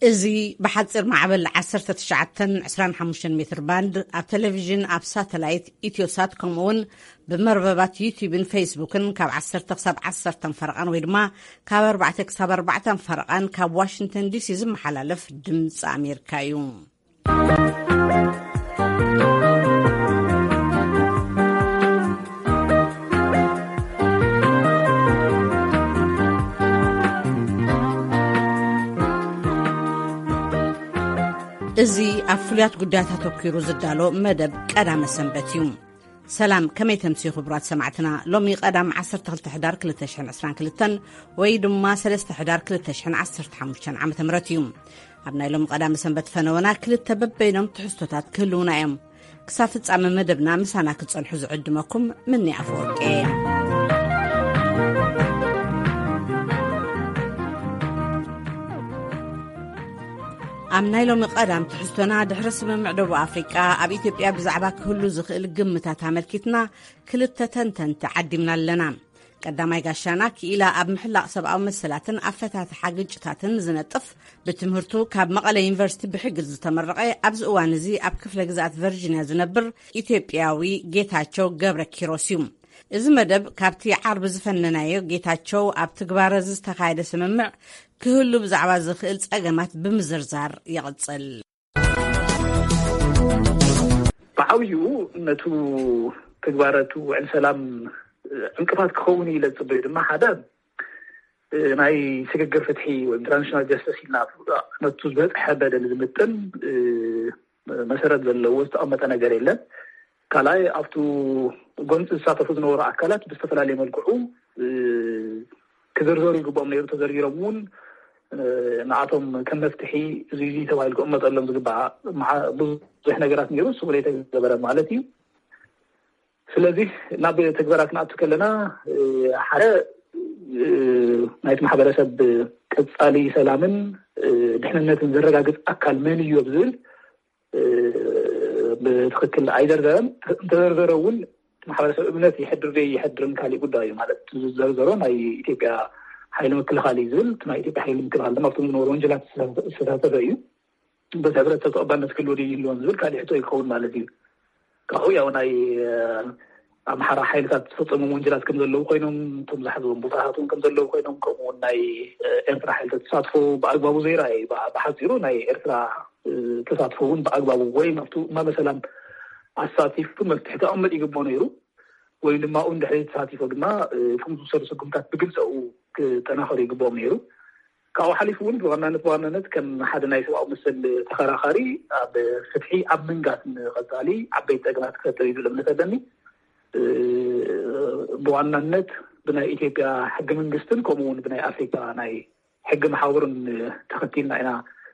እዚ ብሓጺር ማዕበል ዓሰርተ ትሽዓተ ዕስራን ሓሙሽተን ሜትር ባንድ፣ ኣብ ቴሌቪዥን፣ ኣብ ሳተላይት፣ ኢትዮሳት፣ ከምኡ እውን ብመርበባት ዩቲዩብን ፌስቡክን ካብ ዓሰርተ ክሳብ ዓሰርተ ፈረቓን ወይ ድማ ካብ ኣርባዕተ ክሳብ ኣርባዕተ ፈረቓን ካብ ዋሽንግተን ዲሲ ዝመሓላለፍ ድምፂ ኣሜሪካ እዩ። እዚ ኣብ ፍሉያት ጉዳያት ኣተኲሩ ዝዳሎ መደብ ቀዳመ ሰንበት እዩ። ሰላም፣ ከመይ ተምስዩ ክቡራት ሰማዕትና? ሎሚ ቀዳም ዓሰርተ ክልተ ሕዳር ክልተ ሽሕን ዕስራን ክልተን ወይ ድማ ሰለስተ ሕዳር ክልተ ሽሕን ዓሰርተ ሓሙሽተን ዓመተ ምህረት እዩ። ኣብ ናይ ሎሚ ቀዳመ ሰንበት ፈነወና ክልተ በበይኖም ትሕዝቶታት ክህልዉና እዮም። ክሳብ ፍጻመ መደብና ምሳና ክትጸንሑ ዝዕድመኩም ምኒ ኣፈወርቂ እየ። ኣብ ናይ ሎሚ ቀዳም ትሕዝቶና፣ ድሕሪ ስምምዕ ደቡብ ኣፍሪቃ ኣብ ኢትዮጵያ ብዛዕባ ክህሉ ዝኽእል ግምታት ኣመልኪትና ክልተ ተንተንቲ ዓዲምና ኣለና። ቀዳማይ ጋሻና ክኢላ ኣብ ምሕላቕ ሰብኣዊ መሰላትን ኣፈታትሓ ግጭታትን ዝነጥፍ፣ ብትምህርቱ ካብ መቐለ ዩኒቨርሲቲ ብሕጊ ዝተመረቐ፣ ኣብዚ እዋን እዚ ኣብ ክፍለ ግዝኣት ቨርጂንያ ዝነብር ኢትዮጵያዊ ጌታቸው ገብረ ኪሮስ እዩ። እዚ መደብ ካብቲ ዓርቢ ዝፈነናዮ ጌታቸው ኣብ ትግባረ ዝተኻየደ ስምምዕ ክህሉ ብዛዕባ ዝኽእል ጸገማት ብምዝርዛር ይቕጽል። ብዓብዩ ነቱ ትግባረቱ ውዕል ሰላም ዕንቅፋት ክኸውን ኢለ ዝፅበዩ ድማ ሓደ ናይ ስግግር ፍትሒ ወይ ትራንዚሽናል ጀስተስ ኢልና ነቱ ዝበፅሐ በደል ዝምጥን መሰረት ዘለዎ ዝተቐመጠ ነገር የለን። ካልኣይ ኣብቱ ጎንፂ ዝሳተፉ ዝነበሩ ኣካላት ብዝተፈላለየ መልክዑ ክዝርዘሩ ይግብኦም ነይሩ። ተዘርዚሮም እውን ንኣቶም ከም መፍትሒ እዚ እዚ ተባሂሉ ክቕመጠሎም ዝግባእ ብዙሕ ነገራት ነይሩ። እሱ ዘይተገበረ ማለት እዩ። ስለዚህ ናብ ተግባራት ክንኣቱ ከለና ሓደ ናይቲ ማሕበረሰብ ቀፃሊ ሰላምን ድሕንነትን ዘረጋግፅ ኣካል መን እዩ ኣብ ዝብል ብትክክል ኣይዘርዘረን። እንተዘርዘረ እውን ማሕበረሰብ እምነት ይሕድር ደይ ይሕድርን ካሊእ ጉዳይ እዩ። ማለት ዝዘርዘሮ ናይ ኢትዮጵያ ሓይሊ ምክልኻል እዩ ዝብል፣ ናይ ኢትዮጵያ ሓይሊ ምክልኻል ድማ ኣብቶም ዝነበሩ ወንጀላት ዝተሳተፈ እዩ። በዚ ሕብረተሰብ ተቐባልነት ክህልዎ ደይ ይህልዎን ዝብል ካሊእ ሕቶ ይኸውን ማለት እዩ። ካብኡ ያው ናይ ኣምሓራ ሓይልታት ዝፈፀሞም ወንጀላት ከም ዘለዉ ኮይኖም፣ እቶም ዝሓዝዎም ቦታታት እውን ከም ዘለዉ ኮይኖም፣ ከምኡ እውን ናይ ኤርትራ ሓይልታት ተሳትፎ ብኣግባቡ ዘይረኣየ እዩ። ብሓፂሩ ናይ ኤርትራ ተሳትፎ እውን ብኣግባቡ ወይ ኣብቱ እማመ ሰላም ኣሳቲፉ መፍትሒ ከቐምጥ ይግብኦ ነይሩ። ወይም ድማ ኣብኡ እንድሕሪ ተሳቲፎ ድማ እቶም ዝውሰዱ ስጉምታት ብግልፂ ኣብኡ ክጠናኸሩ ይግብኦም ነይሩ። ካብኡ ሓሊፉ እውን ብዋናነት ብዋናነት ከም ሓደ ናይ ሰብኣዊ መሰል ተኸራኻሪ ኣብ ፍትሒ ኣብ ምንጋስ ንቐፃሊ ዓበይቲ ፀገማት ክፈጥር እዩ ዝብል እምነት ኣለኒ። ብዋናነት ብናይ ኢትዮጵያ ሕገ መንግስትን ከምኡ እውን ብናይ ኣፍሪካ ናይ ሕጊ መሓውርን ተኸቲልና ኢና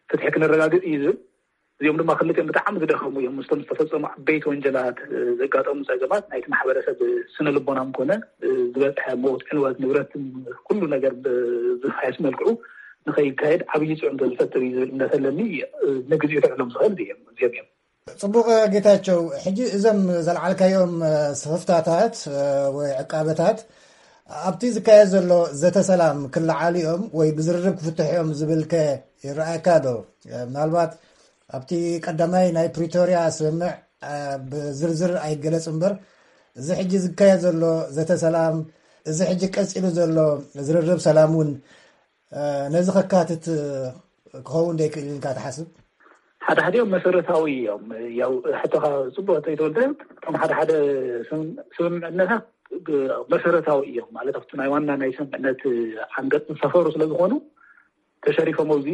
ፍትሒ ክነረጋግፅ እዩ ዝብል። እዚኦም ድማ ክልቲኦም ብጣዕሚ ዝደኸሙ እዮም። ምስቶም ዝተፈፀሙ ዓበይቲ ወንጀላት ዘጋጠሙ ፀገማት ናይቲ ማሕበረሰብ ስነ ልቦናም ኮነ ዝበፅሐ ሞት፣ ዕንወት፣ ንብረት ኩሉ ነገር ብዝፋየስ መልክዑ ንኸይካየድ ዓብዪ ፅዕንቶ ዝፈጥር እዩ ዝብል እምነት ኣለኒ። ንግዚኡ ክዕሎም ዝኽእል እዮም እዚኦም እዮም። ፅቡቕ ጌታቸው፣ ሕጂ እዞም ዘልዓልካዮም ስኽፍታታት ወይ ዕቃበታት ኣብቲ ዝካየድ ዘሎ ዘተ ሰላም ክለዓሉ እዮም ወይ ብዝርርብ ክፍትሑ እዮም ዝብል ከ ይረኣየካ ዶ? ምናልባት ኣብቲ ቀዳማይ ናይ ፕሪቶርያ ስምምዕ ብዝርዝር ኣይገለጽ እምበር፣ እዚ ሕጂ ዝካየድ ዘሎ ዘተ ሰላም፣ እዚ ሕጂ ቀጺሉ ዘሎ ዝርርብ ሰላም እውን ነዚ ከካትት ክኸውን ዶ ይክእል ኢልካ ትሓስብ? ሓደ ሓዲኦም መሰረታዊ እዮም። ያው ሕቶኻ ጽቡቕ እንተይተወልደ፣ እቶም ሓደ ሓደ ስምምዕነታት መሰረታዊ እዮም ማለት ኣብቲ ናይ ዋና ናይ ስምምዕነት ዓንቀጽ ዝሰፈሩ ስለ ዝኾኑ ተሸሪፎም ኣብዚ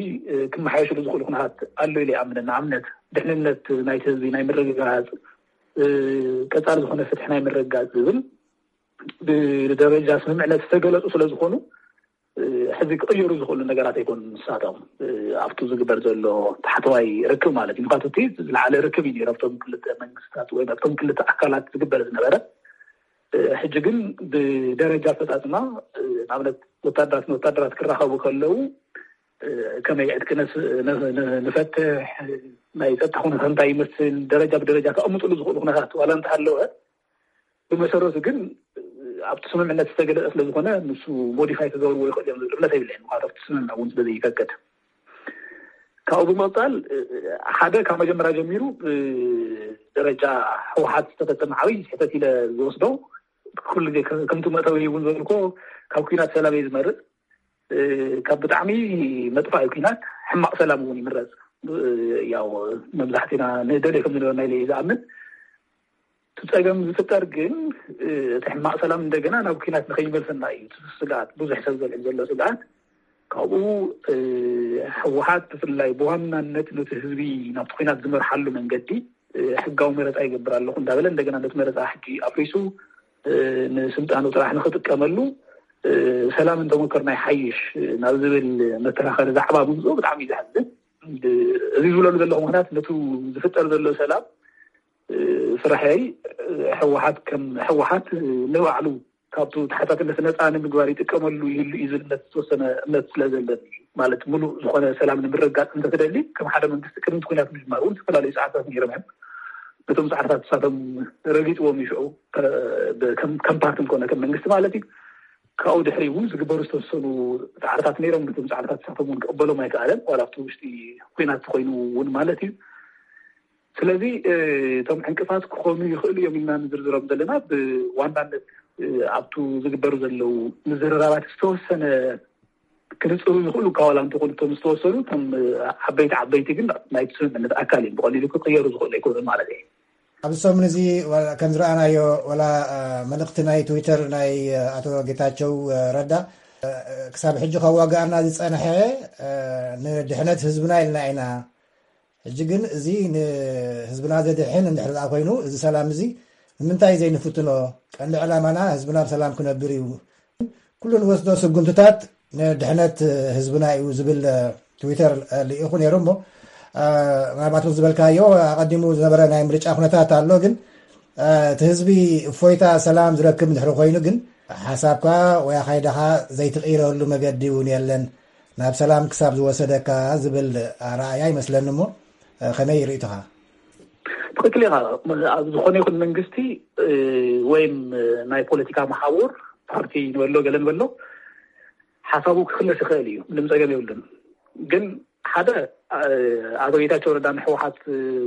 ክመሓየሽሉ ዝኽእሉ ኩነታት ኣሎ ኢለ ይኣምን። ንኣብነት ድሕንነት ናይቲ ህዝቢ ናይ ምርግጋጽ፣ ቀጻሊ ዝኾነ ፍትሒ ናይ ምርግጋጽ ዝብል ብደረጃ ስምምዕነት ዝተገለጹ ስለ ዝኾኑ ሕዚ ክቕየሩ ዝኽእሉ ነገራት ኣይኮኑን። ንሳቶም ኣብቱ ዝግበር ዘሎ ታሕተዋይ ርክብ ማለት እዩ። ምክንያቱ እቲ ዝለዓለ ርክብ እዩ ነይሩ ኣብቶም ክልተ መንግስታት ወይ ኣብቶም ክልተ ኣካላት ዝግበር ዝነበረ። ሕጂ ግን ብደረጃ ኣፈፃፅማ ንኣብነት ወታደራት ንወታደራት ክራኸቡ ከለዉ ከመይ ዕጥቂ ንፈትሕ፣ ናይ ፀጥታ ኩነታት እንታይ ይመስል፣ ደረጃ ብደረጃ ከቐምጥሉ ዝኽእሉ ኩነታት ዋላ እንተሃለወ ብመሰረቱ ግን ኣብቲ ስምምዕነት ዝተገለፀ ስለዝኾነ ንሱ ሞዲፋይ ክገብርዎ ይኽእል እዮም ዝብል እምነት የብለይን። ምክንያቱ ኣብቲ ስምምዕ እውን ስለዘይፈቅድ። ካብኡ ብምቕፃል ሓደ ካብ መጀመርያ ጀሚሩ ብደረጃ ህወሓት ዝተፈፀመ ዓብይ ስሕተት ኢለ ዝወስዶ፣ ኩሉ ግዜ ከምቲ መእተዊ እውን ዝበልኮ፣ ካብ ኩናት ሰላም እየ ዝመርፅ። ካብ ብጣዕሚ መጥፋኢ ኩናት ሕማቕ ሰላም እውን ይምረፅ። ያው መብዛሕትና ንደልዮ ከም ዝነበርና ኢለ እየ ዝኣምን። እቲ ፀገም ዝፍጠር ግን እቲ ሕማቕ ሰላም እንደገና ናብ ኩናት ንኸይመልሰና እዩ እቲ ስግኣት፣ ብዙሕ ሰብ ዘልዕል ዘሎ ስግኣት። ካብኡ ህወሓት ብፍላይ ብዋናነት ነቲ ህዝቢ ናብቲ ኩናት ዝመርሓሉ መንገዲ ሕጋዊ መረፃ ይገብር ኣለኹ እንዳበለ እንደገና ነቲ መረፃ ሕጂ ኣፍሪሱ ንስልጣኑ ጥራሕ ንኽጥቀመሉ ሰላም እንተመከርና ይሓይሽ ናብ ዝብል መከራኸሪ ዛዕባ ምምፅኡ ብጣዕሚ እዩ ዘሕዝን። እዚ ዝብለሉ ዘለኹ ምኽንያት ነቱ ዝፍጠር ዘሎ ሰላም ስራሐይ ህወሓት ከም ህወሓት ንባዕሉ ካብቱ ተሓታትነት ነፃ ንምግባር ይጥቀመሉ ይህሉ እዩ ዝብል እምነት ዝተወሰነ እምነት ስለ ዘለኒ እዩ። ማለት ሙሉእ ዝኾነ ሰላም ንምርጋፅ እንተትደሊ ከም ሓደ መንግስቲ ቅድሚ ኩናት ምጅማር እውን ዝተፈላለዩ ፃዕርታት ነይሮም እዮም። ነቶም ፃዕርታት ንሳቶም ረጊፅዎም እዩ ሽዑ ከም ፓርትን ኮነ ከም መንግስቲ ማለት እዩ። ካብኡ ድሕሪ እውን ዝግበሩ ዝተወሰኑ ፃዕርታት ነይሮም። ነቶም ፃዕርታት ንሳቶም እውን ክቕበሎም ኣይከኣለን ዋላ ኣብቲ ውሽጢ ኩናት ተኮይኑ እውን ማለት እዩ። ስለዚ እቶም ዕንቅፋት ክኾኑ ይኽእሉ እዮም ኢልና ንዝርዝሮም ዘለና ብዋናነት ኣብቱ ዝግበሩ ዘለዉ ምዝርራባት ዝተወሰነ ክንፅሩ ይኽእሉ እኳ ዋላ እንተኾኑ እቶም ዝተወሰኑ እቶም ዓበይቲ ዓበይቲ ግን ናይቲ ስምምነት ኣካል እዮም። ብቐሊሉ ክቅየሩ ዝኽእሉ ኣይኮኑን ማለት እዩ። ኣብዚ ሰሙን እዚ ከም ዝረኣናዮ ዋላ መልእኽቲ ናይ ትዊተር ናይ ኣቶ ጌታቸው ረዳ ክሳብ ሕጂ ከዋግኣና ዝፀንሐ ንድሕነት ህዝብና ኢልና ኢና። ሕጂ ግን እዚ ንህዝብና ዘድሕን እንድሕር ደኣ ኮይኑ እዚ ሰላም እዚ ንምንታይ ዘይንፍትኖ? ቀንዲ ዕላማና ህዝብና ብሰላም ክነብር እዩ። ኩሉ ንወስዶ ስጉምትታት ንድሕነት ህዝብና እዩ ዝብል ትዊተር ልኢኹ ነይሩ። እሞ ምናልባት ዝበልካዮ ኣቐዲሙ ዝነበረ ናይ ምርጫ ኩነታት ኣሎ። ግን እቲ ህዝቢ እፎይታ ሰላም ዝረክብ እንድሕር ኮይኑ ግን ሓሳብካ ወይ ኣኻይዳኻ ዘይትቕይረሉ መገዲ እውን የለን ናብ ሰላም ክሳብ ዝወሰደካ ዝብል ኣረኣያ ይመስለኒ። እሞ ከመይ ርእይቶኻ? ትኽክል ኢኻ። ኣብ ዝኾነ ይኹን መንግስቲ ወይም ናይ ፖለቲካ መሓውር ፓርቲ ንበሎ ገለ ንበሎ ሓሳቡ ክኽለስ ይኽእል እዩ፣ ምንም ፀገም የብሉን። ግን ሓደ ኣቶ ጌታቸው ረዳ ንሕወሓት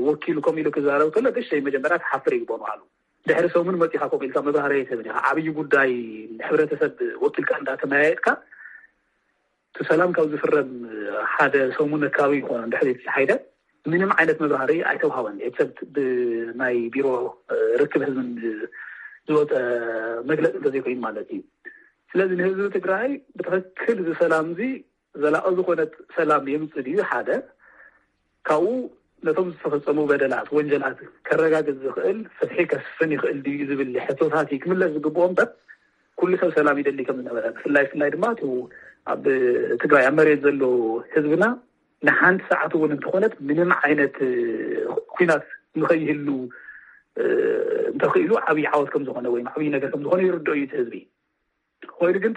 ወኪሉ ከምኡ ኢሉ ክዛረብ ከሎ እሽተይ መጀመርያ ትሓፍር ይግበኑ ኣሉ። ድሕሪ ሰሙን መፂኻ ከምኡ ኢልካ መብራህርያ ኣይትህብን ኢኻ። ዓብዪ ጉዳይ ንሕብረተሰብ ወኪልካ እንዳተመያየጥካ እቲ ሰላም ካብ ዝፍረም ሓደ ሰሙን ኣካባቢ ይኾኖ እንድሕር ዘይተፀሓይደ ምንም ዓይነት መብራህርያ ኣይተውሃበን። ኤክሰፕት ብናይ ቢሮ ርክብ ህዝብን ዝወፀ መግለፂ እንተዘይኮይኑ ማለት እዩ። ስለዚ ንህዝቢ ትግራይ ብትኽክል እዚ ሰላም እዚ ዘላቒ ዝኾነት ሰላም የምፅእ ድዩ ሓደ ካብኡ ነቶም ዝተፈፀሙ በደላት ወንጀላት ከረጋግፅ ዝኽእል ፍትሒ ከስፍን ይኽእል ድዩ ዝብል ሕቶታት እዩ ክምለስ ዝግብኦ እምበር ኩሉ ሰብ ሰላም ይደሊ ከም ዝነበረ ብፍላይ ፍላይ ድማ እቲ ኣብ ትግራይ ኣብ መሬት ዘሎ ህዝብና ንሓንቲ ሰዓት እውን እንተኾነት ምንም ዓይነት ኩናት ንኸይህሉ እንተኽኢሉ ዓብዪ ዓወት ከም ዝኾነ ወይ ዓብዪ ነገር ከም ዝኾነ ይርድኦ እዩ እቲ ህዝቢ። ኮይኑ ግን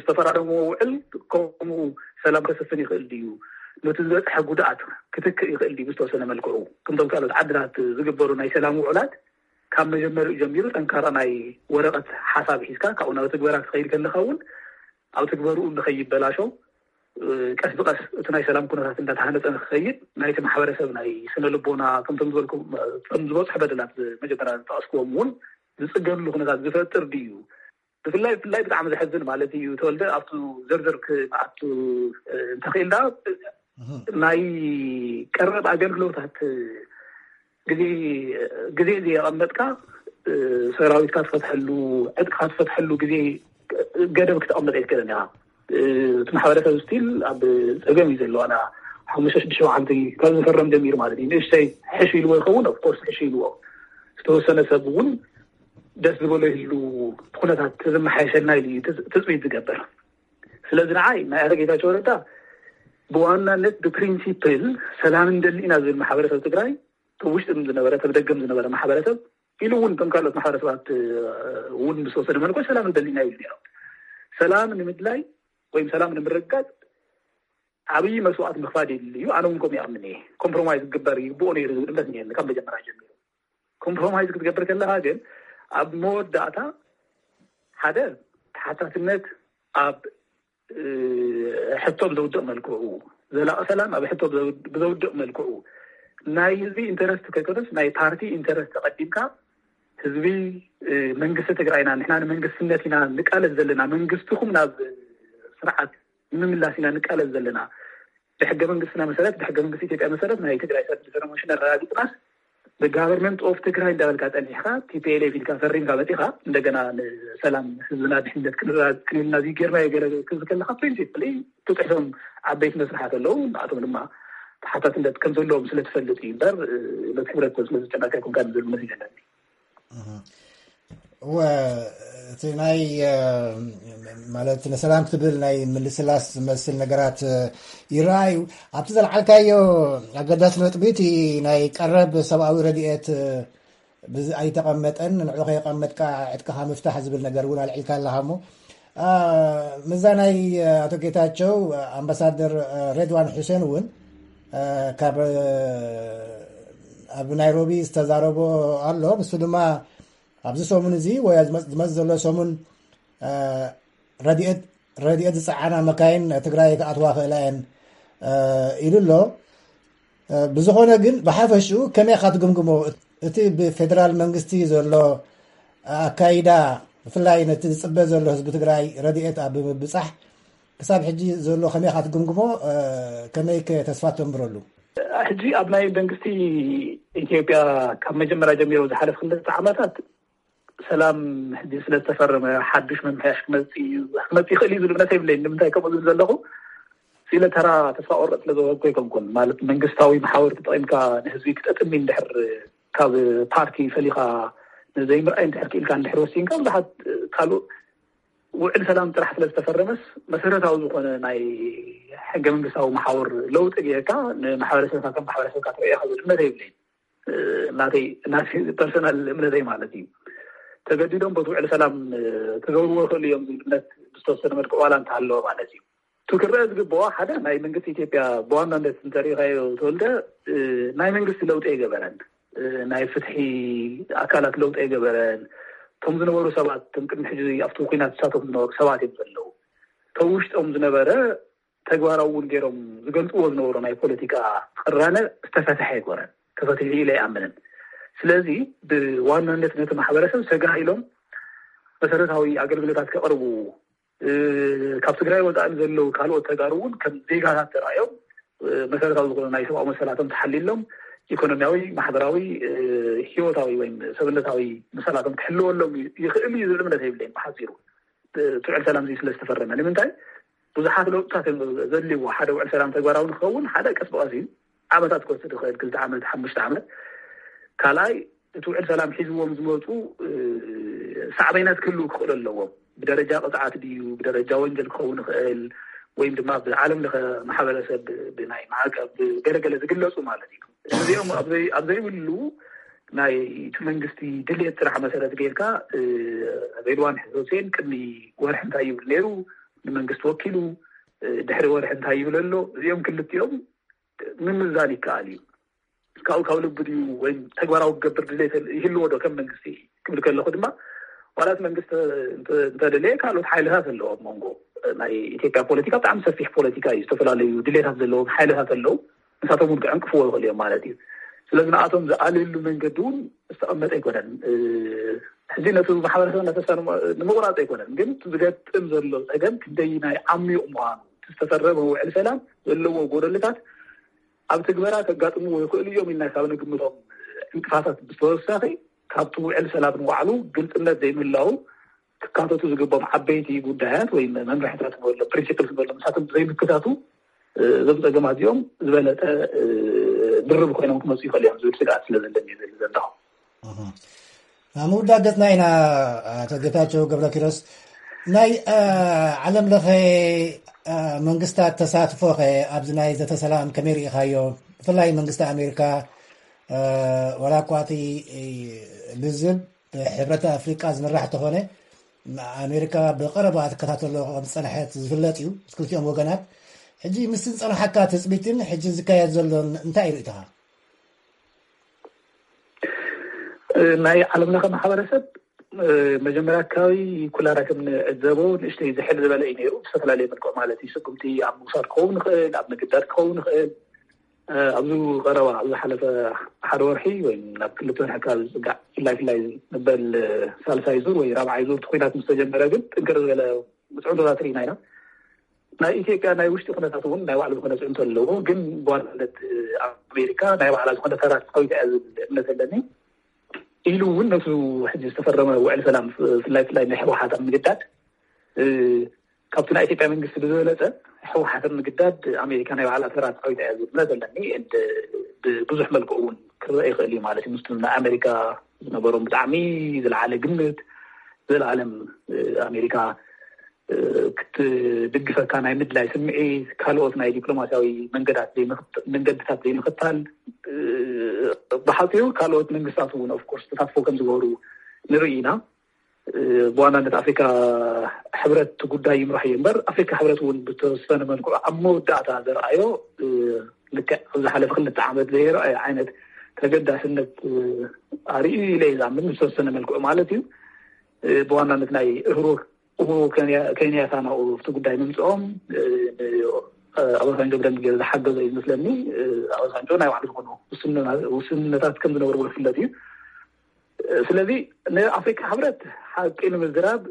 ዝተፈራረምዎ ውዕል ከምኡ ሰላም ከሰፍን ይኽእል ድዩ? ነቲ ዝበፅሐ ጉድኣት ክትክእ ይኽእል ድዩ? ብዝተወሰነ መልክዑ ከምቶም ካልኦት ዓድታት ዝግበሩ ናይ ሰላም ውዕላት ካብ መጀመሪኡ ጀሚሩ ጠንካራ ናይ ወረቐት ሓሳብ ሒዝካ ካብኡ ናብ ትግበራ ክኸይድ ከለካ እውን ኣብ ትግበርኡ ንኸይበላሾ ቀስ ብቀስ እቲ ናይ ሰላም ኩነታት እንዳተሃነፀ ንክኸይድ ናይቲ ማሕበረሰብ ናይ ስነ ልቦና ከምቶም ዝበልኩም ከም ዝበፅሑ በደላት መጀመርያ ዝጠቀስክዎም እውን ዝፅገንሉ ኩነታት ዝፈጥር ድዩ? ብፍላይ ብፍላይ ብጣዕሚ ዘሕዝን ማለት እዩ ተወልደ ኣብቱ ዝርዝር ክኣቱ እንተኽኢልና ናይ ቀረብ ኣገልግሎታት ግዜ ግዜ ዘየቐመጥካ ሰራዊትካ ትፈትሐሉ ዕጥቅካ ትፈትሐሉ ግዜ ገደብ ክተቐመጥ ኣይትክእልን ኢኻ። እቲ ማሕበረሰብ ስቲል ኣብ ፀገም እዩ ዘሎ። ኣና ሓሙሽተ ሽዱሽተ መዓልቲ ካብ ዝፈረም ጀሚሩ ማለት እዩ። ንእሽተይ ሕሽ ኢልዎ ይኸውን ኦፍኮርስ ሕሽ ኢልዎ ዝተወሰነ ሰብ እውን ደስ ዝበሎ ይህሉ ኩነታት ዝመሓየሸልና ኢሉ እዩ ትፅቢት ዝገብር። ስለዚ ንዓይ ናይ ኣቶ ጌታቸው ረዳ ብዋናነት ብፕሪንሲፕል ሰላም እንደሊ ኢና ዝብል ማሕበረሰብ ትግራይ ውሽጢ ዝነበረ ተብደገም ዝነበረ ማሕበረሰብ ኢሉ እውን ከም ካልኦት ማሕበረሰባት እውን ብዝተወሰነ መልኩ ሰላም እንደሊ ኢና ኢሉ ነይሩ። ሰላም ንምድላይ ወይም ሰላም ንምርጋፅ ዓብዪ መስዋዕት ምኽፋል የድሊ እዩ። ኣነ እውን ከምኡ ይኣምን እየ። ኮምፕሮማይዝ ክግበር ይግብኦ ነይሩ ዝብል እምነት እኒሀኒ ካብ መጀመርያ ጀሚሩ። ኮምፕሮማይዝ ክትገብር ከለካ ግን ኣብ መወዳእታ ሓደ ተሓታትነት ኣብ ሕቶም ዘውድቕ መልክዑ ዘላቂ ሰላም ኣብ ሕቶ ብዘውድቕ መልክዑ ናይ ህዝቢ ኢንተረስት ከይኮነስ ናይ ፓርቲ ኢንተረስት ተቐዲምካ ህዝቢ መንግስቲ ትግራይና ንሕና ንመንግስትነት ኢና ንቃለስ ዘለና መንግስትኹም ናብ ስርዓት ንምምላስ ኢና ንቃለስ ዘለና ብሕገ መንግስትና መሰረት ብሕገ መንግስቲ ኢትዮጵያ መሰረት ናይ ትግራይ ሰልፍ ሰለሞን ሽነ ኣረጋጊፅናስ ብጋቨርንመንት ኦፍ ትግራይ እንዳበልካ ፀኒሕካ ቲፒኤልኤፍ ኢልካ ፈሪምካ መፂኻ እንደገና ንሰላም ህዝብና ድሕነት ክንልና እዚ ጌርናዮ ገለ ክዝከለካ ፕሪንሲፕሊ ትፅሕቶም ዓበይቲ መስርሓት ኣለዉ ንኣቶም ድማ ተሓታትነት ከም ዘለዎም ስለ ትፈልጥ እዩ እምበር ነቲ ሕብረተሰብ ስለ ዝጨናካ ይኮንካ ዝብል መሲል ኣለኒ እወ እቲ ናይ ማለት ንሰላም ትብል ናይ ምልስላስ ዝመስል ነገራት ይረኣዩ ኣብቲ ዘልዓልካዮ ኣገዳሲ ነጥቢ እቲ ናይ ቀረብ ሰብኣዊ ረድኤት ኣይተቐመጠን ንዑ ከየቐመጥካ ዕጥቅኻ ምፍታሕ ዝብል ነገር እውን ኣልዒልካ ኣለኻ ሞ ምዛ ናይ ኣቶ ጌታቸው ኣምባሳደር ሬድዋን ሑሴን እውን ካብ ኣብ ናይሮቢ ዝተዛረቦ ኣሎ ንሱ ድማ ኣብዚ ሰሙን እዚ ወይ ዝመፅ ዘሎ ሰሙን ረድኤት ዝፀዓና መካይን ትግራይ ክኣትዋ ክእላ እየን ኢሉ ኣሎ ብዝኾነ ግን ብሓፈሽኡ ከመይ ኢኻ ትግምግሞ እቲ ብፌደራል መንግስቲ ዘሎ ኣካይዳ ብፍላይ ነቲ ዝፅበ ዘሎ ህዝቢ ትግራይ ረድኤት ኣብ ምብፃሕ ክሳብ ሕጂ ዘሎ ከመይ ኢኻ ትግምግሞ ከመይ ተስፋ ተንብረሉ ሕጂ ኣብ ናይ መንግስቲ ኢትዮጵያ ካብ መጀመርያ ጀሚሮ ዝሓለፍ ክልተ ዓመታት ሰላም ሕጂ ስለዝተፈረመ ሓዱሽ ምምሕያሽ ክመፅእ እዩ ክመፅእ ይኽእል እዩ ዝብል እምነት የብለይን ንምንታይ ከምኡ ዝብል ዘለኹ ስለ ተራ ተስፋ ቆረጥ ስለ ዝወሃብኩ ኣይኮንኩን ማለት መንግስታዊ መሓውር ተጠቂምካ ንህዝቢ ክጠጥሚ እንድሕር ካብ ፓርቲ ፈሊኻ ንዘይምርኣይ እንድሕር ክኢልካ እንድሕር ወሲንካ ብዙሓት ካልእ ውዕል ሰላም ጥራሕ ስለ ዝተፈረመስ መሰረታዊ ዝኾነ ናይ ሕገ መንግስታዊ መሓውር ለውጢ ጌርካ ንማሕበረሰብካ ከም ማሕበረሰብካ ትረእዮ ዝብል እምነት የብለይን ናተይ ናተይ ፐርሰናል እምነተይ ማለት እዩ ተገዲዶም በቲ ውዕል ሰላም ክገብርዎ ይኽእሉ እዮም ዝብል እምነት ብዝተወሰነ መልክዕ ዋላ እንተሃለወ ማለት እዩ እቲ ክረአ ዝግበኦ ሓደ ናይ መንግስቲ ኢትዮጵያ ብዋናነት እንተሪኢኻዮ ተወልደ ናይ መንግስቲ ለውጢ ኣይገበረን ናይ ፍትሒ ኣካላት ለውጢ ኣይገበረን እቶም ዝነበሩ ሰባት እቶም ቅድሚ ሕጂ ኣብቲ ኩናት ዝሳተፉ ዝነበሩ ሰባት እዮም ዘለዉ እቶም ውሽጦም ዝነበረ ተግባራዊ እውን ገይሮም ዝገልፅዎ ዝነበሩ ናይ ፖለቲካ ቅራነ ዝተፈትሐ ኣይኮነን ተፈትሑ ኢለ ኣይኣምንን ስለዚ ብዋናነት ነቲ ማሕበረሰብ ሰጋእ ኢሎም መሰረታዊ ኣገልግሎታት ከቕርቡ ካብ ትግራይ ወፃኢ ዘለዉ ካልኦት ተጋሩ እውን ከም ዜጋታት ተራእዮም መሰረታዊ ዝኾኑ ናይ ሰብኣዊ መሰላቶም ተሓሊሎም ኢኮኖሚያዊ ማሕበራዊ ህይወታዊ ወይም ሰብነታዊ መሰላቶም ክሕልወሎም ይኽእል እዩ ዝብል እምነት የብለይን ብሓፂሩ እቲ ውዕል ሰላም እዚ ስለ ዝተፈረመ ንምንታይ ብዙሓት ለውጥታት እዮም ዘድልይዎ ሓደ ውዕል ሰላም ተግባራዊ ንክኸውን ሓደ ቀስ ብቐስ እዩ ዓመታት ክወስድ ይኽእል ክልተ ዓመት ሓሙሽተ ዓመት ካልኣይ እቲ ውዕል ሰላም ሒዝዎም ዝመፁ ሳዕቤናት ክህልው ክኽእሉ ኣለዎም ብደረጃ ቅፅዓት ድዩ ብደረጃ ወንጀል ክኸውን ይኽእል ወይም ድማ ብዓለም ለኸ ማሕበረሰብ ብናይ ማዕቀብ ገለገለ ዝግለፁ ማለት እዩ እዚኦም ኣብ ዘይብሉ ናይ እቲ መንግስቲ ድሌት ጥራሕ መሰረት ጌርካ ሬድዋን ሕሰን ቅድሚ ወርሒ እንታይ ይብል ነይሩ ንመንግስቲ ወኪሉ ድሕሪ ወርሒ እንታይ ይብል ኣሎ እዚኦም ክልቲኦም ምምዛን ይከኣል እዩ ካብኡ ካብ ልቢ ድዩ ወይ ተግባራዊ ክገብር ድሌት ይህልዎ ዶ ከም መንግስቲ ክብል ከለኹ ድማ ዋላት መንግስቲ እንተደለየ ካልኦት ሓይልታት ኣለዎ ኣብ መንጎ ናይ ኢትዮጵያ ፖለቲካ ብጣዕሚ ሰፊሕ ፖለቲካ እዩ ዝተፈላለዩ ድሌታት ዘለዎም ሓይልታት ኣለዉ ንሳቶም እውን ክዕንቅፍዎ ይኽእሉ እዮም ማለት እዩ ስለዚ ንኣቶም ዝኣልየሉ መንገዲ እውን ዝተቐመጠ ኣይኮነን ሕዚ ነቲ ማሕበረሰብ እናተስፋ ንምቁራፅ ኣይኮነን ግን ዝገጥም ዘሎ ፀገም ክንደይ ናይ ዓሚቕ ምዃኑ ዝተፈረመ ውዕል ሰላም ዘለዎ ጎደልታት ኣብ ትግበራ ከጋጥምዎ ይኽእሉ እዮም ኢልና ካብ ንግምቶም ዕንቅፋታት ብተወሳኺ ካብቲ ውዕል ሰላም ንባዕሉ ግልፅነት ዘይምህላው ክካተቱ ዝግቦም ዓበይቲ ጉዳያት ወይ መምርሕታት ንበሎ ፕሪንሲፕል ንበሎ ንሳቶም ዘይምክታቱ እዞም ፀገማት እዚኦም ዝበለጠ ድርብ ኮይኖም ክመፁ ይኽእሉ እዮም ዝብል ስግኣት ስለ ዘለኒ ዝብል ዘለኹ ኣብ ምውዳእ ገፅና ኢና ኣቶ ጌታቸው ገብረኪሮስ ናይ ዓለም ለኸ መንግስታት ተሳትፎ ኸ ኣብዚ ናይ ዘተሰላም ከመይ ርኢኻዮ ብፍላይ መንግስቲ ኣሜሪካ ወላ እኳ እቲ ልዝብ ብሕብረት ኣፍሪቃ ዝምራሕ ተኾነ ኣሜሪካ ብቀረባ ትከታተሎ ከም ዝፀንሐት ዝፍለጥ እዩ ክልቲኦም ወገናት ሕጂ ምስ ዝፀንሓካ ትፅቢትን ሕጂ ዝካየድ ዘሎን እንታይ ርኢትኻ ናይ ዓለም ለኸ ማሕበረሰብ መጀመርያ ኣካባቢ ኩላና ከም ንዕዘቦ ንእሽተይ ዝሕል ዝበለ እዩ ነይሩ። ብዝተፈላለየ መልክዑ ማለት እዩ። ስጉምቲ ኣብ ምውሳድ ክኸውን ይኽእል፣ ኣብ ምግዳድ ክኸውን ይኽእል። ኣብዚ ቀረባ፣ ኣብ ዝሓለፈ ሓደ ወርሒ ወይ ናብ ክልተ ወርሒ ኣካባቢ ዝፅጋዕ፣ ብፍላይ ብፍላይ ንበል ሳልሳይ ዙር ወይ ራብዓይ ዙር እቲ ኩናት ምስ ተጀመረ ግን ጥንክር ዝበለ ፅዕንቶታት ርኢና ኢና። ናይ ኢትዮጵያ ናይ ውሽጢ ኩነታት እውን ናይ ባዕሉ ዝኾነ ፅዕንቶ ኣለዎ። ግን ብዋናነት ኣሜሪካ ናይ ባዕላ ዝኾነ ተራ ትፃወት እያ ዝብል እምነት ኣለኒ። ኢሉ እውን ነቲ ሕጂ ዝተፈረመ ውዕል ሰላም፣ ብፍላይ ብፍላይ ናይ ህወሓት ኣብ ምግዳድ፣ ካብቲ ናይ ኢትዮጵያ መንግስቲ ብዝበለፀ ህወሓት ኣብ ምግዳድ ኣሜሪካ ናይ ባዕላ ተራ ትፃወት እያ ዝብል እምነት ኣለኒ። ብብዙሕ መልክዑ እውን ክረአ ይኽእል እዩ ማለት እዩ። ምስቲ ናይ ኣሜሪካ ዝነበሮም ብጣዕሚ ዝለዓለ ግምት፣ ዘለዓለም ኣሜሪካ ክትድግፈካ ናይ ምድላይ ስምዒት፣ ካልኦት ናይ ዲፕሎማሲያዊ መንገዳት ዘይምኽት-፣ መንገድታት ዘይምኽታል፣ ብሓፂሩ ካልኦት መንግስታት እውን ኦፍኮርስ ተሳትፎ ከም ዝገበሩ ንርኢ ኢና። ብዋናነት ኣፍሪካ ሕብረት እቲ ጉዳይ ይምራሕ እዩ እምበር፣ ኣፍሪካ ሕብረት እውን ብተወሰነ መልክዑ ኣብ መወዳእታ ዘርኣዮ፣ ልክዕ ኣብ ዝሓለፈ ክልተ ዓመት ዘይረኣየ ዓይነት ተገዳስነት ኣርእዩ ኢለ እየ ዝኣምን፣ ብዝተወሰነ መልክዑ ማለት እዩ። ብዋናነት ናይ እህሩ ኡሁሩ ኬንያ-፣ ኬንያታ ናብኡ ኣብቲ ጉዳይ ምምፅኦም፣ እ፣ እ፣ ኣባሳንጆ ብደንብ ገይሩ ዝሓገዞ እዩ ዝመስለኒ። እ፣ ኣባሳንጆ ናይ ባዕሉ ዝኾኑ ውስንና-፣ ውስንነታት ከም ዝነበርዎ ዝፍለጥ እዩ። እ፣ ስለዚ ንኣፍሪካ ሕብረት ሓቂ ንምዝራብ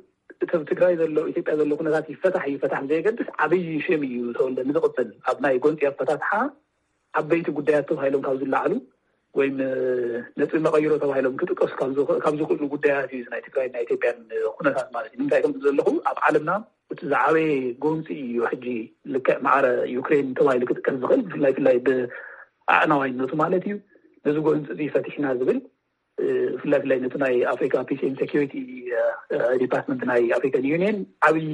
እቲ ኣብ ትግራይ ዘሎ፣ ኢትዮጵያ ዘሎ ኩነታት ይፈታሕ ይፈታሕ ብዘየገድስ ዓብዪ ሽም እዩ ተወልደ ንዝቕፅል ኣብ ናይ ጎንፂ ኣፈታትሓ ዓበይቲ ጉዳያት ተባሂሎም ካብ ዝለዓሉ ወይም ነጥቢ መቐይሮ ተባሂሎም ክጥቀሱ ካብ ዝኽ-፣ ካብ ዝኽእሉ ጉዳያት እዩ ናይ ትግራይ ናይ ኢትዮጵያን ኩነታት ማለት እዩ። ንምንታይ ከም ዘለኹ ኣብ ዓለምና እቲ ዝዓበየ ጎንፂ እዩ ሕጂ ልክዕ ማዕረ ዩክሬን ተባሂሉ ክጥቀስ ዝኽእል ብፍላይ ፍላይ ብኣዕናዋይነቱ ማለት እዩ። ነዚ ጎንፂ እዚ ፈቲሕና ዝብል ብፍላይ ፍላይ ነቲ ናይ ኣፍሪካ ፒስ ኤንድ ሴኪሪቲ ዲፓርትመንት ናይ ኣፍሪካን ዩኒየን ዓብዪ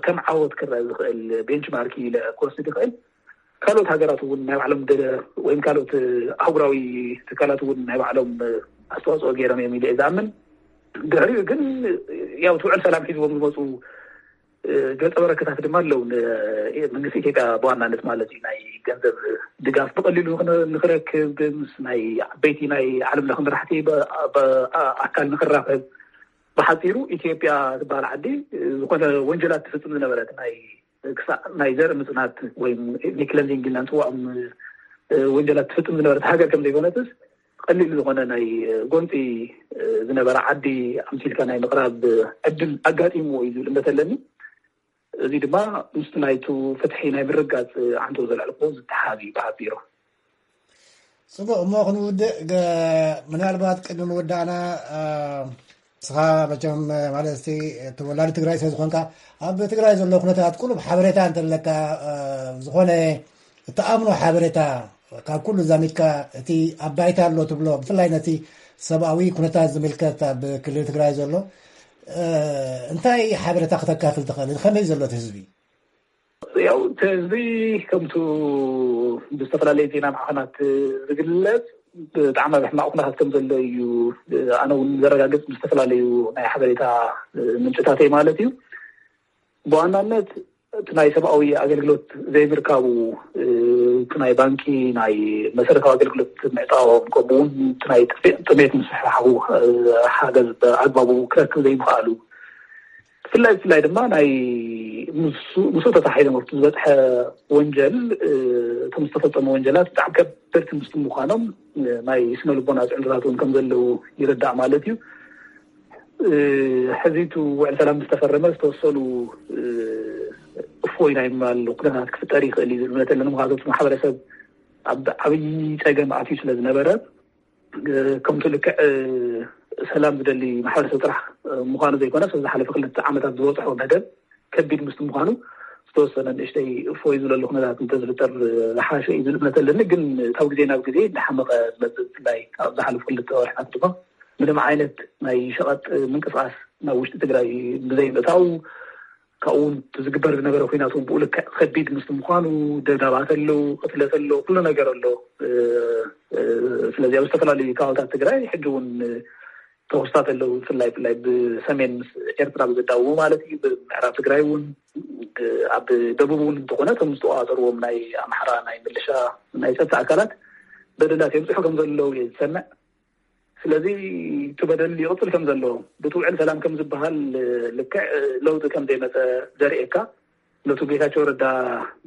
ከም ዓወት ክረአ ዝኽእል ቤንችማርክ ኢለ ክወስድ ይኽእል። ካልኦት ሃገራት እውን ናይ ባዕሎም ገለ ወይም ካልኦት ኣህጉራዊ ትካላት እውን ናይ ባዕሎም ኣስተዋፅኦ ገይሮም እዮም ኢለ እየ ዝኣምን። ድሕሪኡ ግን ያው እቲ ውዕል ሰላም ሒዝዎም ዝመፁ ገፀ በረከታት ድማ ኣለዉ። መንግስቲ ኢትዮጵያ ብዋናነት ማለት እዩ ናይ ገንዘብ ድጋፍ ብቐሊሉ ንኽረክብ ምስ ናይ ዓበይቲ ናይ ዓለም ለኸ መራሕቲ ኣካል ንኽራኸብ፣ ብሓፂሩ ኢትዮጵያ ዝበሃል ዓዲ ዝኾነ ወንጀላት ትፍፅም ዝነበረት ናይ ክሳዕ ናይ ዘርኢ ምፅናት ወይ ክለንዚንግ ኢልና ንፅውዖም ወንጀላት ትፍፅም ዝነበረት ሃገር ከም ዘይኮነትስ ቀሊል ዝኾነ ናይ ጎንፂ ዝነበረ ዓዲ ኣምሲልካ ናይ ምቕራብ ዕድል ኣጋጢምዎ እዩ ዝብል እምነት ኣለኒ። እዚ ድማ ምስቲ ናይቱ ፍትሒ ናይ ምርጋፅ ዓንቶ ዘልዕልኮ ዝተሓዝ እዩ ብሓፂሩ። ፅቡቅ እሞ ክንውድእ ገ-፣ ምናልባት ቅድሚ ምውዳእና ንስኻ መቸም ማለት ተወላዲ ትግራይ ስለዝኾንካ ኣብ ትግራይ ዘሎ ኩነታት ቁሩብ ሓበሬታ እንተለካ ዝኾነ እተኣምኖ ሓበሬታ ካብ ኩሉ ዛሚድካ እቲ ኣብ ባይታ ኣሎ ትብሎ ብፍላይ ነቲ ሰብኣዊ ኩነታት ዝምልከት ኣብ ክልል ትግራይ ዘሎ እንታይ ሓበሬታ ክተካፍል ትኽእል? ከመይ ዘሎ እቲ ህዝቢ? ያው እቲ ህዝቢ ከምቱ ብዝተፈላለዩ ዜና ማዕኸናት ዝግለፅ ብጣዕሚ ኣብ ሕማቕ ኩነታት ከም ዘሎ እዩ ኣነ እውን ዘረጋግፅ ብዝተፈላለዩ ናይ ሓበሬታ ምንጭታተይ ማለት እዩ። ብዋናነት እቲ ናይ ሰብኣዊ ኣገልግሎት ዘይምርካቡ፣ እቲ ናይ ባንኪ ናይ መሰረታዊ ኣገልግሎት ምዕጣዎም ከምኡ እውን እቲ ናይ ጥሜት ምስሕሓቡ ሓገዝ ብኣግባቡ ክረክብ ዘይምኽኣሉ ብፍላይ ብፍላይ ድማ ናይ ምስኡ ተታሒዞም ኣብቲ ዝበፅሐ ወንጀል እቶም ዝተፈፀሙ ወንጀላት ብጣዕሚ ከበድቲ ምስ ምዃኖም ናይ ስነ ልቦና ፅዕንቶታት እውን ከም ዘለዉ ይርዳእ ማለት እዩ። ሕዚ እቲ ውዕል ሰላም ዝተፈረመ ዝተወሰኑ እፎይ ናይ ምባል ኩነታት ክፍጠር ይኽእል እዩ ዝብል እምነት ኣለኒ። ምክንያቱ እቲ ማሕበረሰብ ኣብ ዓብዪ ፀገም ኣትዩ ስለ ዝነበረ ከምቲ ልክዕ ሰላም ዝደሊ ማሕበረሰብ ጥራሕ ምዃኑ ዘይኮነስ ዝሓለፈ ክልተ ዓመታት ዝበፅሖ በደል ከቢድ ምስቲ ምዃኑ ዝተወሰነ ንእሽተይ እፎይ ዝብለሉ ኩነታት እንተዝፍጠር ዝሓሸ እዩ ዝብል እምነት ኣለኒ። ግን ካብ ግዜ ናብ ግዜ እንዳሓመቐ ዝመፅእ ብፍላይ ኣብ ዝሓለፉ ክልተ ወርሕታት ድማ ምንም ዓይነት ናይ ሸቐጥ ምንቅስቃስ ናብ ውሽጢ ትግራይ ብዘይምእታው ካብኡ እውን ዝግበር ዝነበረ ኩናት እውን ብኡ ልክዕ ከቢድ ምስቲ ምዃኑ ደብዳባት ኣለዉ፣ ቅትለት ኣሎ፣ ኩሉ ነገር ኣሎ። ስለዚ ኣብ ዝተፈላለዩ ከባብታት ትግራይ ሕጂ እውን ተኹስታት ኣለዉ። ብፍላይ ብፍላይ ብሰሜን ምስ ኤርትራ ብዘዳውቡ ማለት እዩ። ብምዕራብ ትግራይ እውን ኣብ ደቡብ እውን እንተኾነ እቶም ዝተቆፃፀርዎም ናይ ኣምሓራ ናይ ምልሻ ናይ ፀጥታ ኣካላት በደላት የብፅሑ ከም ዘለዉ እየ ዝሰምዕ። ስለዚ እቲ በደል ይቕፅል ከም ዘሎ፣ ብቲ ውዕል ሰላም ከም ዝበሃል ልክዕ ለውጢ ከም ዘይመፀ ዘርእየካ፣ ነቱ ጌታቸው ረዳ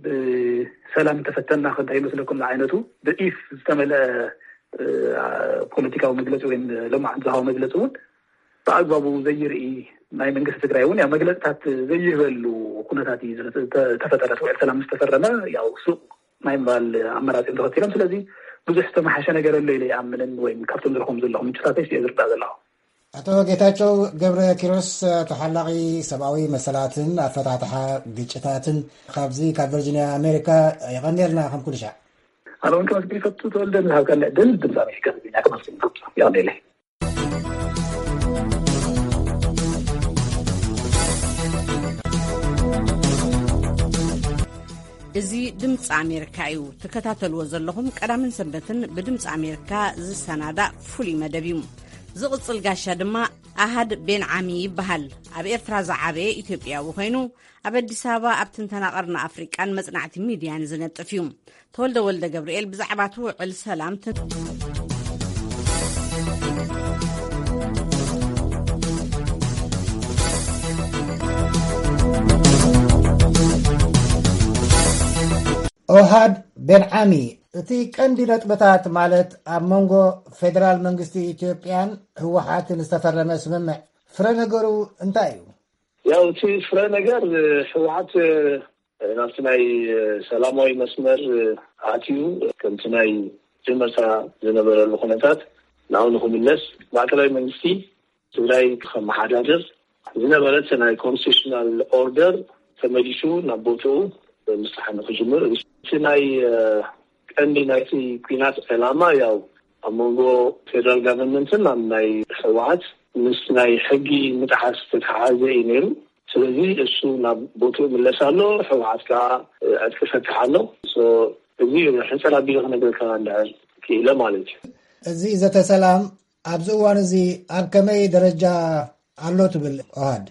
ብሰላም እንተፈተና ከ እንታይ ይመስለኩም ዝዓይነቱ ብኢፍ ዝተመልአ ፖለቲካዊ መግለፂ ወይም ለማዓንዛዊ መግለፂ እውን ብኣግባቡ ዘይርኢ፣ ናይ መንግስቲ ትግራይ እውን ያው መግለፅታት ዘይህበሉ ኩነታት እዩ ተፈጠረ። ውዕል ሰላም ዝተፈረመ ያው ሱቕ ናይ ምባል ኣመራፂኦም ተኸቲሎም። ስለዚ ብዙሕ ዝተመሓሸ ነገር ኣሎ ኢለ ይኣምንን ወይም ካብቶም ዝረኹም ዘለኹ ምንጭታተይ እየ ዝርዳእ ዘለኹ። ኣቶ ጌታቸው ገብረ ኪሮስ፣ ተሓላቒ ሰብኣዊ መሰላትን ኣፈታትሓ ግጭታትን፣ ካብዚ ካብ ቨርጂኒያ ኣሜሪካ፣ የቐንየልና። ከም ኩሉ ሻዕ። ኣነ እውን ከመስግን ይፈቱ። ተወልደ፣ ንዝሃብካኒ ዕድል ድምፂ ኣሜሪካ ትግርኛ ከመስግን ይፈቱ። የቐንየለይ። እዚ ድምፂ ኣሜሪካ እዩ። ትከታተልዎ ዘለኹም ቀዳምን ሰንበትን ብድምፂ ኣሜሪካ ዝሰናዳእ ፍሉይ መደብ እዩ። ዝቕፅል ጋሻ ድማ ኣሃድ ቤን ዓሚ ይበሃል። ኣብ ኤርትራ ዝዓበየ ኢትዮጵያዊ ኮይኑ፣ ኣብ ኣዲስ ኣበባ ኣብ ትንተና ቀርኒ ኣፍሪቃን መጽናዕቲ ሚድያን ዝነጥፍ እዩ። ተወልደ ወልደ ገብርኤል ብዛዕባ እቲ ውዕል ሰላም ትን- ኦሃድ ቤን ዓሚ፣ እቲ ቀንዲ ነጥብታት፣ ማለት ኣብ መንጎ ፌደራል መንግስቲ ኢትዮጵያን ህወሓትን ዝተፈረመ ስምምዕ ፍረ ነገሩ እንታይ እዩ? ያው እቲ ፍረ ነገር፣ ህወሓት ናብቲ ናይ ሰላማዊ መስመር ኣትዩ፣ ከምቲ ናይ መጀመርታ ዝነበረሉ ኩነታት ናብኡ ንክምለስ፣ ማእከላዊ መንግስቲ ትግራይ ከመሓዳድር፣ ዝነበረት ናይ ኮንስቲቱሽናል ኦርደር ተመሊሱ ናብ ቦትኡ ምስራሕ ንክጅምር፣ እቲ ናይ ቀንዲ ናይቲ ኲናት ዕላማ ያው ኣብ መንጎ ፌደራል ጋቨርንመንትን ኣብ ናይ ህወሓት ምስ ናይ ሕጊ ምጥሓስ ዝተተሓሓዘ እዩ ነይሩ። ስለዚ እሱ ናብ ቦትኡ ምለስ ኣሎ፣ ህወሓት ከዓ ዕጥቂ ፈትሕ ኣሎ። እዚ ሕፅር ኣቢሉ ክነግረካ እንድሕር ክኢለ ማለት እዩ። እዚ ዘተ ሰላም ኣብዚ እዋን እዚ ኣብ ከመይ ደረጃ ኣሎ ትብል ኦሃድ?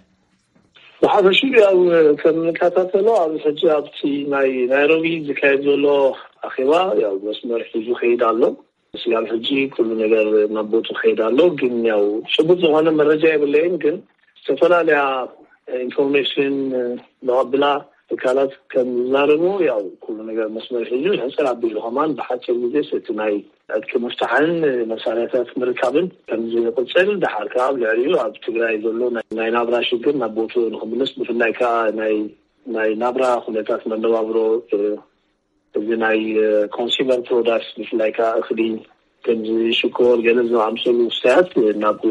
ብሓፈሽኡ ያው ከም ንከታተሎ ኣብዚ ሕጂ ኣብቲ ናይ ናይሮቢ ዝካየድ ዘሎ ኣኼባ ያው መስመር ሒዙ ከይድ ኣሎ። ስጋብ ሕጂ ኩሉ ነገር ናብ ቦቱ ከይድ ኣሎ። ግን ያው ጭቡጥ ዝኾነ መረጃ የብለይን። ግን ዝተፈላለያ ኢንፎርሜሽን ንቐብላ ትካላት ከም ዝዛረቡ ያው ኩሉ ነገር መስመር ሒዙ ሕፅር ኣቢሉ ከማን ብሓፂር ግዜ እቲ ናይ ዕጥቂ ምፍታሕን መሳርያታት ምርካብን ከም ዝቕፅል፣ ደሓር ከዓ ኣብ ልዕሊኡ ኣብ ትግራይ ዘሎ ናይ ናብራ ሽግር ናብ ቦቱ ንክምልስ፣ ብፍላይ ከዓ ናይ ናይ ናብራ ኩነታት መነባብሮ እዚ ናይ ኮንሱመር ፕሮዳክትስ፣ ብፍላይ ከዓ እኽሊ፣ ከምዚ ሽኮር ገለ ዝኣምሰሉ ውሳያት ናብ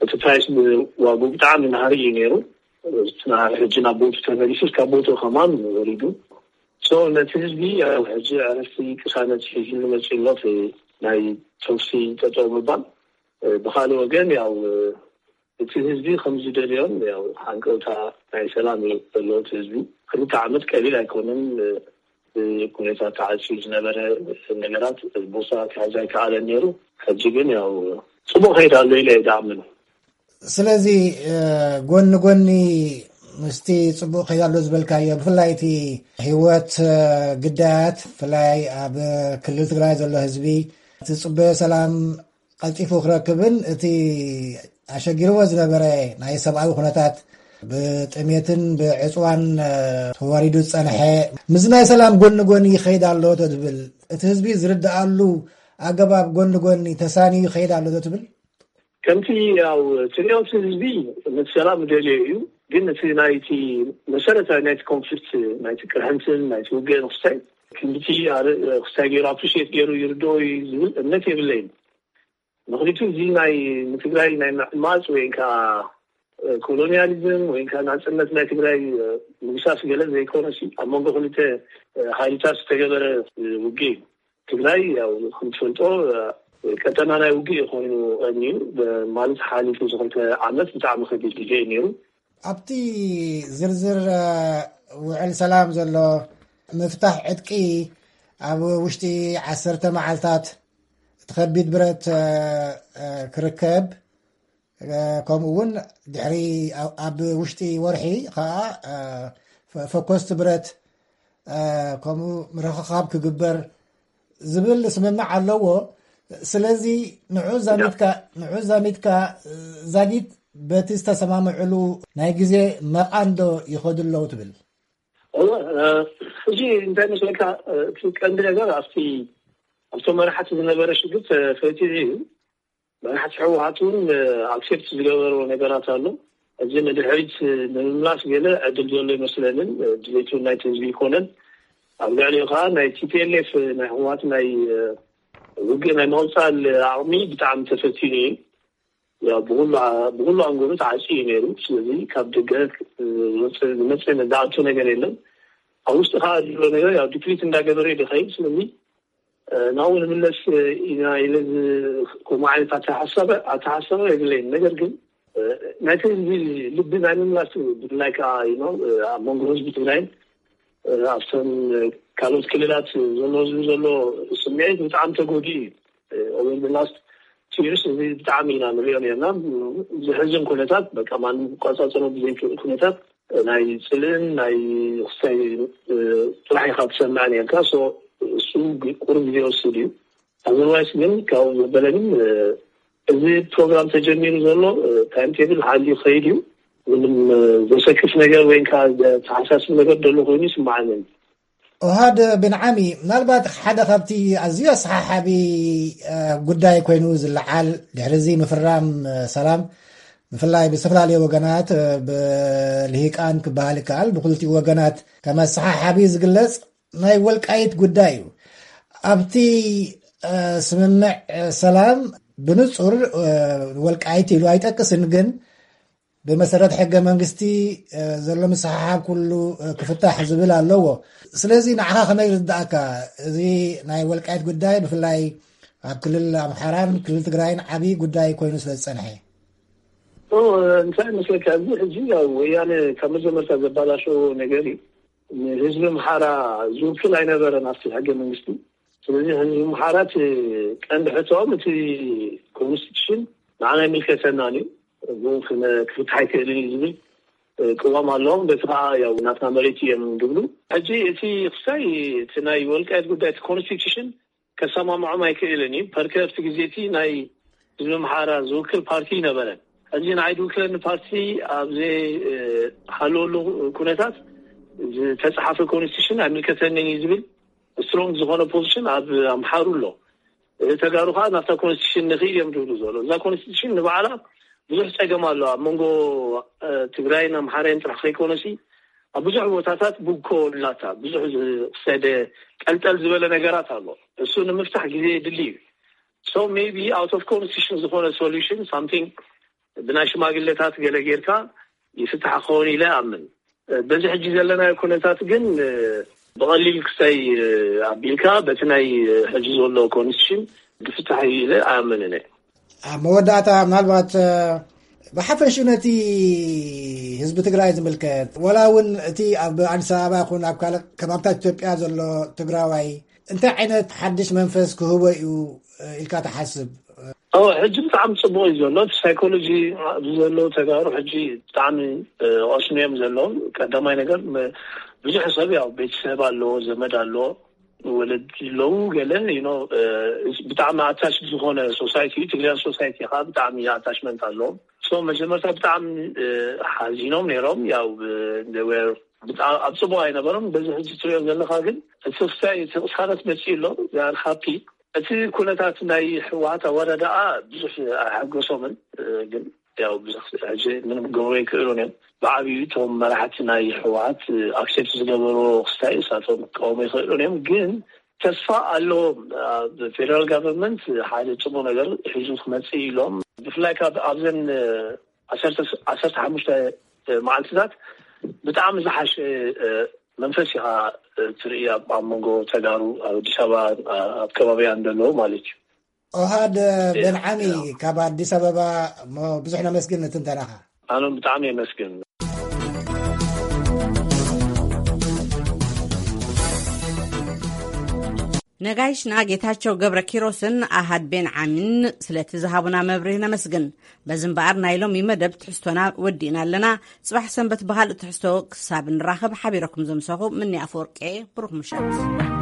እቲ ፕራይስ ብዋጉ ብጣዕሚ ናህሪ እዩ ነይሩ። እቲ ናህሪ ሕጂ ናብ ቦቱ ተመሊሱ ካብ ቦቱ ከማን ወሪዱ። ሶ ነቲ ህዝቢ ያው ሕጂ ዕረፍቲ ቅሳነት ሒዙ መፂኡ ኣሎ። ናይ ተኩሲ ጠጠው ምባል፣ ብካልእ ወገን ያው እቲ ህዝቢ ከም ዝደልዮን ያው ሃንቀውታ ናይ ሰላም እዩ ዘለዎ እቲ ህዝቢ። ክልተ ዓመት ቀሊል ኣይኮነን። ብኩነታት ተዓፅዩ ዝነበረ ነገራት ቦታ ክሕዝ ኣይከኣለን ነይሩ። ሕጂ ግን ያው ፅቡቅ ከይድ ኣሎ ኢለ እየ ዝኣምን። ስለዚ ጎኒ ጎኒ ምስቲ ፅቡቅ ከይድ ኣሎ ዝበልካዮ፣ ብፍላይ እቲ ህይወት ግዳያት ብፍላይ ኣብ ክልል ትግራይ ዘሎ ህዝቢ እቲ ፅበዮ ሰላም ቀልጢፉ ክረክብን እቲ ኣሸጊርዎ ዝነበረ ናይ ሰብኣዊ ኩነታት ብጥሜትን ብዕፅዋን ተዋሪዱ ዝፀንሐ፣ ምስ ናይ ሰላም ጎኒ ጎኒ ይኸይድ ኣሎ ዶ ትብል? እቲ ህዝቢ ዝርድኣሉ ኣገባብ ጎኒ ጎኒ ተሳንዩ ይኸይድ ኣሎ ዶ ትብል? ከምቲ ያው ትሪኦ እቲ ህዝቢ ነቲ ሰላም ደልዮ እዩ። ግን እቲ ናይቲ መሰረታዊ ናይቲ ኮንፍሊክት፣ ናይቲ ቅርሕንትን ናይቲ ውግእ ንክስታይ ክንድቲ ክስታይ ገይሩ ኣፕሪሽት ገይሩ ይርድኦ እዩ ዝብል እምነት የብለይን። ምክንያቱ እዚ ናይ ንትግራይ ናይ ምዕማፅ ወይ ከዓ ኮሎኒያሊዝም ወይ ከዓ ናፅነት ናይ ትግራይ ምግሳስ ገለ ዘይኮነሲ፣ ኣብ መንጎ ክልተ ሃይልታት ዝተገበረ ውግእ እዩ። ትግራይ ያው ከምትፈልጦ ቀጠና ናይ ውግእ ኮይኑ ቀንዩ ማለት ሓሊፉ ዝክልተ ዓመት ብጣዕሚ ከቢድ ግዜ እዩ ነይሩ። ኣብቲ ዝርዝር ውዕል ሰላም ዘሎ ምፍታሕ ዕጥቂ ኣብ ውሽጢ ዓሰርተ መዓልታት እቲ ከቢድ ብረት ክርከብ፣ ከምኡ እውን ድሕሪ ኣብ ውሽጢ ወርሒ ከዓ ፈኮስቲ ብረት ከምኡ ምርኽኻብ ክግበር ዝብል ስምምዕ ኣለዎ። ስለዚ ንዑ ዛሚትካ ንዑ ዛሚትካ ዛጊት በቲ ዝተሰማምዕሉ ናይ ግዜ መቓን ዶ ይኸዱ ኣለዉ ትብል? እወ፣ ሕጂ እንታይ መስለካ? እቲ ቀንዲ ነገር ኣብቲ ኣብቶም መራሕቲ ዝነበረ ሽግር ተፈቲሑ እዩ። መራሕቲ ህወሓት እውን ኣክሴፕት ዝገበርዎ ነገራት ኣሎ። እዚ ንድሕሪት ንምምላስ ገለ ዕድል ዘሎ ይመስለንን ድሌቱ ናይቲ ህዝቢ ይኮነን። ኣብ ልዕሊኡ ከዓ ናይ ቲ ፒ ኤል ኤፍ ናይ ህወሓት ናይ ውግእ ናይ ምቕፃል ዓቕሚ ብጣዕሚ ተፈቲኑ እዩ። ያው ብኩሉ ብኩሉ ኣንጎሉ ተዓፅዩ እዩ ነይሩ። ስለዚ ካብ ደገ ዝመፅእ ዝኣቱ ነገር የለን። ኣብ ውሽጢ ከዓ ዘሎ ነገር ያው ዲፕሊት እንዳገበረ እዩ ዝኸይድ። ስለዚ ናብኡ ንምለስ ኢና ኢለ ከምኡ ዓይነት ኣተሓሳሰበ ኣተሓሳሰበ የብለይን። ነገር ግን ናይቲ ህዝቢ ልቢ ናይ ምምላስ ብፍላይ ከዓ ኣብ መንጎ ህዝቢ ትግራይን ኣብተን ካልኦት ክልላት ዘሎ ህዝቢ ዘሎ ስምዒት ብጣዕሚ ተጎዲኡ እዩ። ኦቨር ላስት ቲርስ እዚ ብጣዕሚ ኢና ንሪኦ ነርና። ዝሕዝን ኩነታት በቃ ማንም ክቋፃፀሮ ብዘይክእል ኩነታት ናይ ፅልእን ናይ ክስታይ ጥራሕ ኢካ ትሰምዕ ነርካ። እሱ ቁሩብ ግዜ ወስድ እዩ። ኣዘርዋይስ ግን ካብኡ ዘበለ ግን እዚ ፕሮግራም ተጀሚሩ ዘሎ ታይም ቴብል ሓልዩ ከይድ እዩ። ምንም ዘሰክፍ ነገር ወይ ከዓ ዘተሓሳስብ ነገር ዘሎ ኮይኑ ይስማዓኒ። ኦሃድ ብንዓሚ፣ ምናልባት ሓደ ካብቲ ኣዝዩ ኣሰሓሓቢ ጉዳይ ኮይኑ ዝለዓል ድሕሪ እዚ ምፍራም ሰላም ብፍላይ ብዝተፈላለዩ ወገናት ብልሂቃን ክበሃል ይከኣል ብክልቲኡ ወገናት ከም ኣሰሓሓቢ ዝግለጽ ናይ ወልቃይት ጉዳይ እዩ። ኣብቲ ስምምዕ ሰላም ብንጹር ወልቃይት ኢሉ ኣይጠቅስን፣ ግን ብመሰረት ሕገ መንግስቲ ዘሎ ምስሓሓብ ኩሉ ክፍታሕ ዝብል ኣለዎ። ስለዚ ንዓኻ ከመይ ዝርዳእካ? እዚ ናይ ወልቃይት ጉዳይ ብፍላይ ኣብ ክልል ኣምሓራን ክልል ትግራይን ዓብዪ ጉዳይ ኮይኑ ስለ ዝጸንሐ። እንታይ መስለካ? እዚ ሕጂ ያው ወያነ ካብ መጀመርታ ዘባላሸዎ ነገር እዩ። ንህዝቢ ኣምሓራ ዝውክል ኣይነበረን ኣብቲ ሕገ መንግስቲ። ስለዚ ህዝቢ ኣምሓራ እቲ ቀንዲ ሕቶኦም እቲ ኮንስቲቱሽን ንዓና ኣይምልከተናን እዩ፣ ብኡ ክፍታሕ ኣይክእልን እዩ ዝብል ቅዋም ኣለዎም። በቲ ከዓ ያው ናትና መሬት እዮም ዝብሉ። ሕጂ እቲ ክሳይ እቲ ናይ ወልቃየት ጉዳይ እቲ ኮንስቲቱሽን ከሰማምዖም ኣይክእልን እዩ። ፐርከ ኣብቲ ግዜ እቲ ናይ ህዝቢ ኣምሓራ ዝውክል ፓርቲ ይነበረን። ሕዚ ንዓይ ዝውክለኒ ፓርቲ ኣብ ዘይሃለወሉ ኩነታት ዝተፃሓፈ ኮንስቲቱሽን ኣይምልከተንን እዩ ዝብል ስትሮንግ ዝኾነ ፖዚሽን ኣብ ኣምሓሩ ኣሎ። ተጋሩ ከዓ ናብታ ኮንስቲቱሽን ንኽይድ እዮም ዝብሉ ዘሎ። እዛ ኮንስቲቱሽን ንባዕላ ብዙሕ ፀገም ኣሎ ኣብ መንጎ ትግራይን ኣምሓራይን ጥራሕ ከይኮነሲ ኣብ ብዙሕ ቦታታት ብኮ ኣላታ ብዙሕ ዝሰደ ጠልጠል ዝበለ ነገራት ኣሎ። እሱ ንምፍታሕ ግዜ የድሊ እዩ። So maybe out of constitution ዝኾነ solution something ብናይ ሽማግለታት ገለ ጌርካ ይፍታሕ ክኸውን ኢለ ኣምን። በዚ ሕጂ ዘለናዮ ኩነታት ግን ብቐሊል ክሳይ ኣቢልካ በቲ ናይ ሕጂ ዘሎ ኮንስቲቱሽን ዝፍታሕ እዩ ኢለ ኣምን እነ። ኣብ መወዳእታ ምናልባት ብሓፈሽኡ ነቲ ህዝቢ ትግራይ ዝምልከት ወላ እውን እቲ ኣብ ኣዲስ ኣበባ ይኹን ኣብ ካልእ ከባብታት ኢትዮጵያ ዘሎ ትግራዋይ እንታይ ዓይነት ሓድሽ መንፈስ ክህቦ እዩ ኢልካ ትሓስብ? ሕጂ ብጣዕሚ ፅቡቅ እዩ ዘሎ እቲ ሳይኮሎጂ ኣብዚ ዘለዉ ተጋሩ ሕጂ ብጣዕሚ ቀስኑ እዮም ዘለዉ። ቀዳማይ ነገር ብዙሕ ሰብ ያው ቤተሰብ ኣለዎ፣ ዘመድ ኣለዎ፣ ወለዲ ኣለዉ። ገለ ብጣዕሚ ኣታች ዝኾነ ሶሳይቲ እዩ። ትግራይ ሶሳይቲ ከዓ ብጣዕሚ ኣታችመንት ኣለዎም። ሶ መጀመርታ ብጣዕሚ ሓዚኖም ነይሮም። ያው ኣብ ፅቡቅ ኣይነበሮም። በዚ ሕጂ ትሪኦ ዘለካ ግን እቲ ክስታይ እቲ ቅሳነት መፅኡ ኣሎ። ዛር ሃፒ እቲ ኩነታት ናይ ህወሓት ኣወዳድኣ ብዙሕ ኣይሓጎሶምን። ግን ያው ብዙሕ ሕጂ ምንም ክገብሩ ኣይክእሉን እዮም። ብዓብዩ እቶም መራሕቲ ናይ ህወሓት ኣክሴፕት ዝገበርዎ ክስታይ እሳቶም ክቃወሙ ይኽእሉን እዮም። ግን ተስፋ ኣለዎም። ኣብ ፌደራል ጋቨርንመንት ሓደ ፅቡቅ ነገር ሒዙ ክመፅእ ኢሎም ብፍላይ ካብ ኣብዘን ዓሰርተ ሓሙሽተ መዓልትታት ብጣዕሚ ዝሓሸ መንፈስ ኢኻ ትርኢ ኣብ መንጎ ተጋሩ ኣብ ኣዲስ ኣበባ ኣብ ከባቢያ እንደለዉ ማለት እዩ። ኦሃድ በንዓሚ ካብ ኣዲስ ኣበባ እሞ ብዙሕ ነመስግን ንትንተናኻ። ኣነ ብጣዕሚ የመስግን። ነጋይሽና ጌታቸው ገብረ ኪሮስን ኣሃድ ቤን ዓሚን ስለቲ ዝሃቡና መብርህ ነመስግን። በዚ እምበኣር ናይ ሎሚ መደብ ትሕዝቶና ወዲእና ኣለና። ጽባሕ ሰንበት ብኻልእ ትሕዝቶ ክሳብ ንራኸብ ሓቢረኩም ዘምሰኹ ምኒ ኣፈወርቄ። ብሩኽ ምሸት።